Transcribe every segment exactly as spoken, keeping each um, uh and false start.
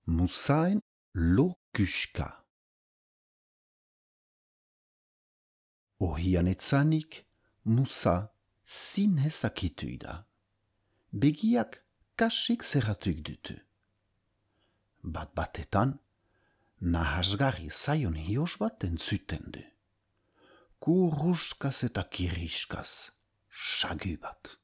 Musaen lokuska. Ohian etzanik, musa zinez akitu da. Begiak kasik zerratuk dutu. Bat batetan, nahasgarri zaion hios bat entzuten du. Kurruskaz eta kiriskaz, sagu bat.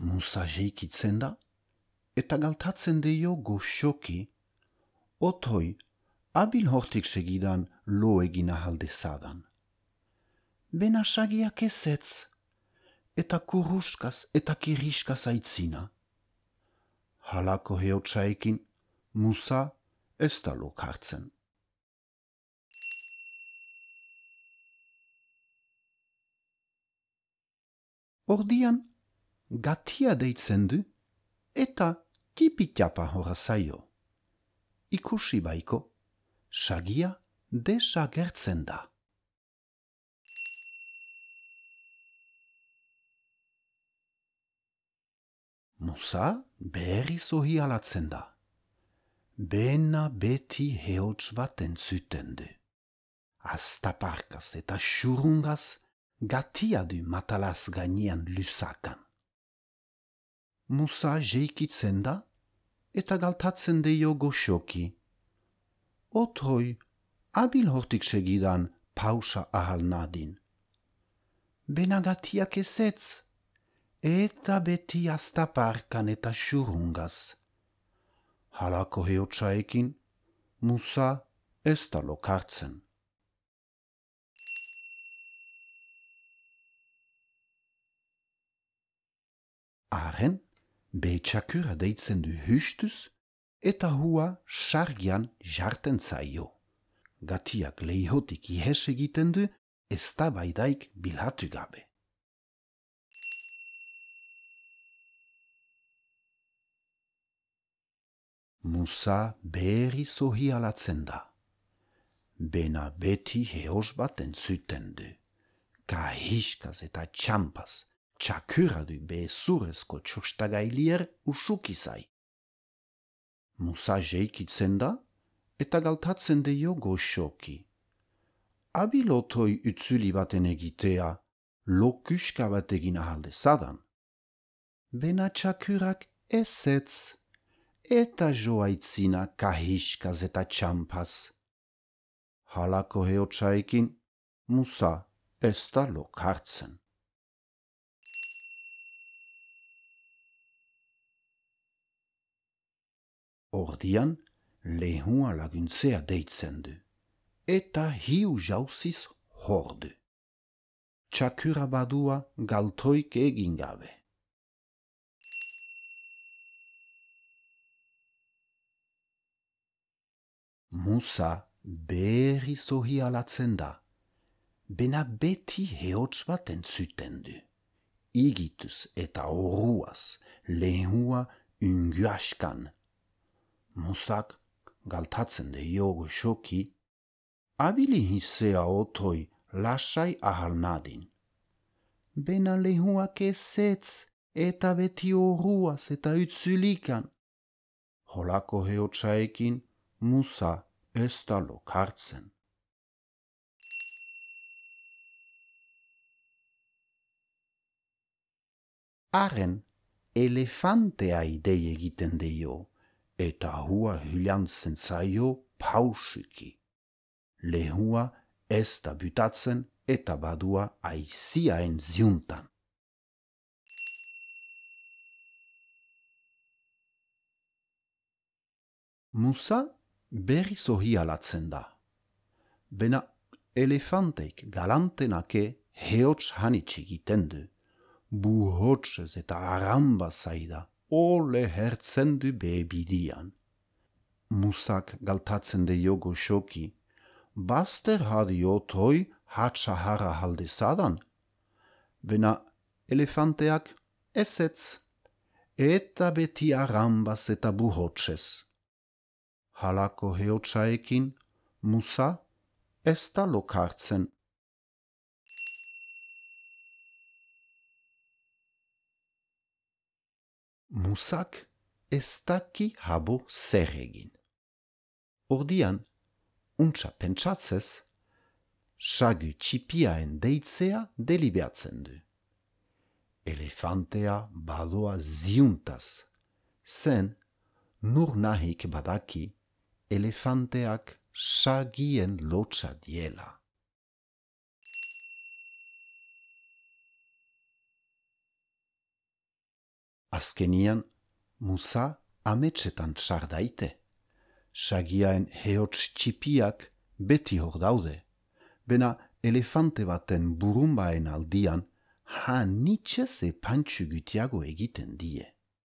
Musa jeikitzen da, eta galtatzen dio goxoki, otoi abil hortik segidan lo egin ahal dezadan. Bena sagiak ezetz, eta kurruskaz eta kiriskaz aitzina. Halako heotxaekin, Musa ez da lokartzen. Ordian, gatia deitzen du, eta tipitiapa hora zaio. Ikusi baiko, sagia desagertzen da. Musa berriz ohi alatzen da. Bena beti heotx bat entzuten du. Aztaparkaz eta xurungaz gatia du matalaz gainean lusakan. Musa jeikitzen da eta galtatzen dio goxoki. Otroi abil hortik segidan pausa ahal nadin. Bena gatiak ezetz, eta beti aztaparkan eta xurungaz. Halako heotxaekin, Musa ez da lokartzen. Haren, behetxakura deitzen du hustuz, eta hua sargian jarten zaio. Gatiak leihotik ihes egiten du, ez da baidaik bilhatu gabe. Musa berriz ohi alatzen da. Bena beti heos bat entzuten du. Kahiskaz eta txampaz, txakura du bezurezko txostagailier usukizai. Musa jeikitzen da, eta galtatzen dio goxoki. Abilotoi utzuli baten egitea, lokuska bat egin ahalde zadan. Bena txakurak ezetz, eta joaitzina kahiskaz eta txampaz. Halako heotxaekin, Musa ez da lokartzen. Ordian, lehua laguntzea deitzen du, eta hiu jauziz hordu. Txakura badua galtoik egin gabe. Musa berriz ohi alatzen da, bena beti heotx bat entzuten du. Igituz eta horruaz lehua unguaskan. Musak galtatzen dio goxoki, abili hizea otoi lasai ahal nadin. Bena lehuak ezetz eta beti horruaz eta utzulikan. Holako heotxaekin, Musa ez da lokartzen. Haren, elefantea idei egiten dio, eta hua hylantzen zaio pausuki. Lehua ez da butatzen eta badua aiziaen ziuntan. Musa berriz ohi alatzen da. Bena elefanteik galantenake heotx hanitz egiten du. Buhotsez eta aramba zaida, ole hertzen du bebidian. Musak galtatzen dio goxoki, baster hadi otoi hatxahara haldezadan. Bena elefanteak ezetz, eta beti arambaz eta buhotsez. Halako heotxaekin, Musa ez da lokartzen. Musak ez daki habo zer egin. Ordian, untsa pentsatzez, sagu txipiaen deitzea delibeatzen du. Elefantea badoa ziuntaz, zen nur nahik badaki elefanteak sagien lotsa diela. Azkenian, musa ametsetan tsar daite. Sagiaen heots txipiak beti hor daude, bena elefante baten burumbaen aldian hanitxez epantxu gutiago egiten die.